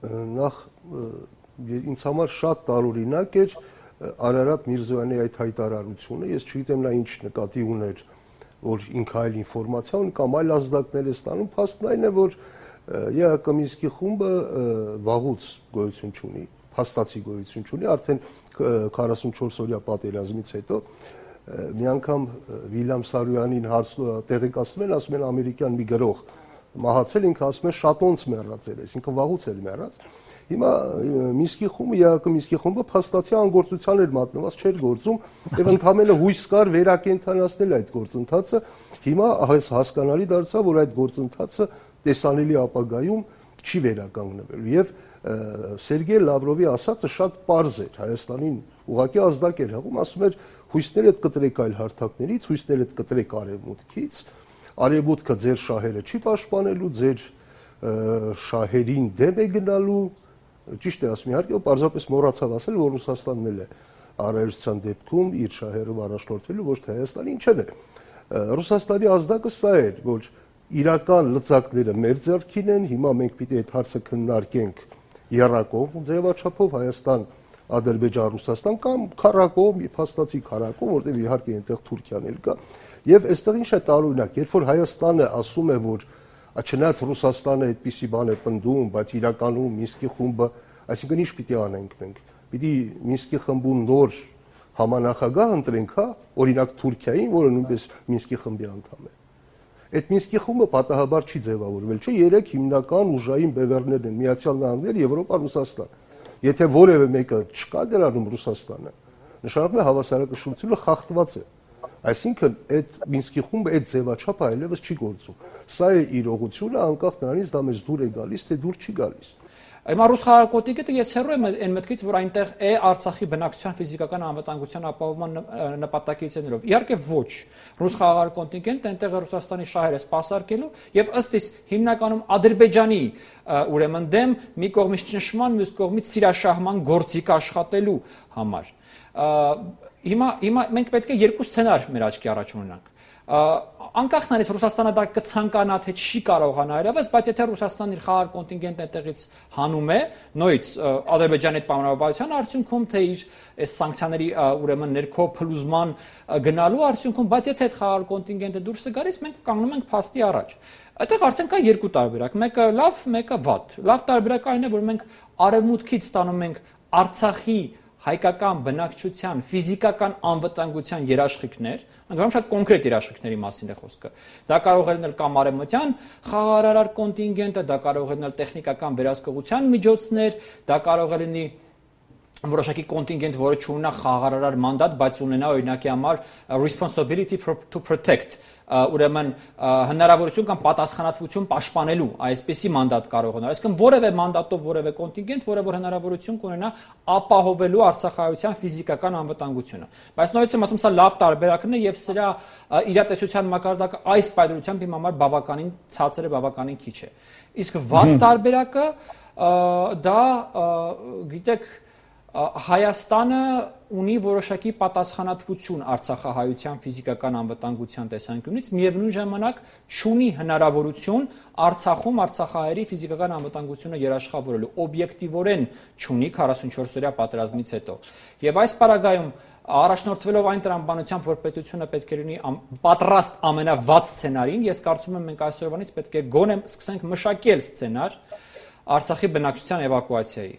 նախ ինձ համար շատ տարօրինակ էր Արարատ Միրզոյանի այդ հայտարարությունը, ես չգիտեմ նա ինչ նկատի ուներ, որ ինքը այլ ինֆորմացիա ունի կամ այլ ազդակներ է ստանում, փաստն այն է, որ ԵԱԿ Մինսկի խումբը վաղուց գոյություն չունի, փաստացի գոյություն չունի, արդեն 44-օրյա պատերազմից հետո մի անգամ Վիլյամ Սարոյանին տեղեկացնում են, ասում են ամերիկյան մի գրող մահացել, ինքը ասում է շատոնց մեռած էր, այսինքն վաղուց էր մեռած։ Հիմա Մինսկի խումբը, ԵԱԿ Մինսկի խումբը փաստացի անգործության էր մատնված, չէր գործում եւ ընդհանրապես հույս կար վերակենդանացնել այդ գործընթացը։ Հիմա հասկանալի դարձավ, որ այդ գործընթացը տեսանելի ապագայում չի վերականգնվելու եւ Սերգեյ Լավրովի ասածը շատ պարզ էր, Հայաստանին ուղղակի ազդակ էր հղում, ասում էր հույսներդ կտրեք այլ հարթակներից, հույսներդ կտրեք արևմուտքից, արևմուտքը ձեր շահերը չի պաշտպանելու, ձեր շահերին դեմ է գնալու, ճիշտ է ասում իհարկե, պարզապես մոռացավ ասել, որ Ռուսաստանն էլ է առայժության դեպքում իր շահերով առաջնորդվելու, ոչ թե Հայաստանը, ինչևէ Ռուսաստանի ազդակը սա էր, որ իրական լծակները մեր ձեռքին են, հիմա մենք պիտի այդ հարցը քննարկենք եռակողմ ձևաչափով Հայաստան, Ադրբեջան, Ռուսաստան կամ քառակողմ, փաստացի քառակողմ, որտեղ իհարկե այնտեղ Թուրքիան էլ կա, եւ այստեղ ինչ է տարօրինակ, երբ որ Հայաստանը ասում է, որ չնայած Ռուսաստանը այդպիսի բան է պնդում, բայց իրականում Մինսկի խումբը, այսինքն ինչ պիտի անենք մենք, պիտի Մինսկի խմբում նոր համանախագահ ընտրենք, հա, օրինակ Թուրքիային, որը նույնպես Մինսկի խմբի անդամ է։ Այդ Մինսկի խումբը պատահաբար չի ձևավորվել, չէ, երեք հիմնական ուժային բևեռներն են՝ Միացյալ Նահանգներ, Եվրոպա, Ռուսաստան։ Եթե որևէ մեկը չկա դրանում Ռուսաստանը, նշանակում է հավասարակշռությունը խախտված է։ Այսինքն այդ Մինսկի խումբը այդ ձևաչափը այլևս չի գործում։ Սա է իրողությունը, անկախ նրանից դա մեզ դուր է գալիս, թե դուր չի գալիս։ Հիմա ռուս խաղաղօթիկը ես հեռու եմ այն մտքից, որ այնտեղ է Արցախի բնակչության ֆիզիկական անվտանգության ապահովման նպատակից ներով։ Իհարկե ոչ։ Ռուս խաղաղ կոնտինգենտը այնտեղ է Ռուսաստանի շահերը սպասարկելու եւ ըստ իս հիմնականում Ադրբեջանի ուրեմն դեմ մի կողմից ճնշման, մյուս կողմից սիրաշահման գործիք աշխատելու համար։ Հիմա մենք պետք է երկու սցենար մեր աչքի առաջ ունենանք։ Անկախ նրանից Ռուսաստանը դա կցանկանա թե չի կարողանա այլևս, բայց եթե Ռուսաստանն իր խաղաղ կոնտինգենտը այդտեղից հանում է, նույնից Ադրբեջանի այդ պայմանավորվածության արդյունքում, թե իր այս սանկցիաների ուրեմն ներքո փլուզման գնալու արդյունքում, բայց եթե այդ խաղաղ կոնտինգենտը դուրս է գալիս, մենք կանգնում ենք փաստի առաջ։ Այդտեղ արդեն կա երկու տարբերակ, մեկը լավ, մեկը վատ։ Լավ տարբերակը այն է, որ մենք արևմուտքից ստանում ենք Արցախի հայկական բնակչության ֆիզիկական անվտանգության երաշխիքներ, ընդհանրապես շատ կոնկրետ երաշխիքների մասին է խոսքը։ Դա կարող է լինել կամ արևմտյան խաղաղարար կոնտինգենտը, դա կարող է լինել տեխնիկական վերահսկողության միջոցներ, դա կարող է լինի որոշակի կոնտինգենտ, որը չունենա խաղաղարար մանդատ, բայց ունենա օրինակի համար responsibility to protect, ուրեմն հնարավորություն կամ պատասխանատվություն պաշտպանելու այսպիսի մանդատ կարող ունենալ։ Այսինքն որևէ մանդատով որևէ կոնտինգենտ, որը որ հնարավորություն կունենա ապահովելու արցախայության ֆիզիկական անվտանգությունը։ Բայց նույնիսկ եմ ասում, սա լավ տարբերակն է եւ սրա իրատեսության մակարդակը այս պայմանությամբ իմ համար բավականին ցածր է, բավականին քիչ է։ Իսկ վատ տարբերակը դա գիտեք Հայաստանը ունի որոշակի պատասխանատվություն Արցախահայության ֆիզիկական անվտանգության տեսանկյունից, միևնույն ժամանակ չունի հնարավորություն Արցախում արցախահայերի ֆիզիկական անվտանգությունը երաշխավորելու, օբյեկտիվորեն չունի 44-օրյա պատերազմից հետո։ Եվ այս պարագայում առաջնորդվելով այն տրամաբանությամբ, որ պետությունը պետք է լինի պատրաստ ամենավատ սցենարին, ես կարծում եմ մենք այսօրվանից պետք է գոնե սկսենք մշակել սցենար Արցախի բնակչության էվակուացիայի։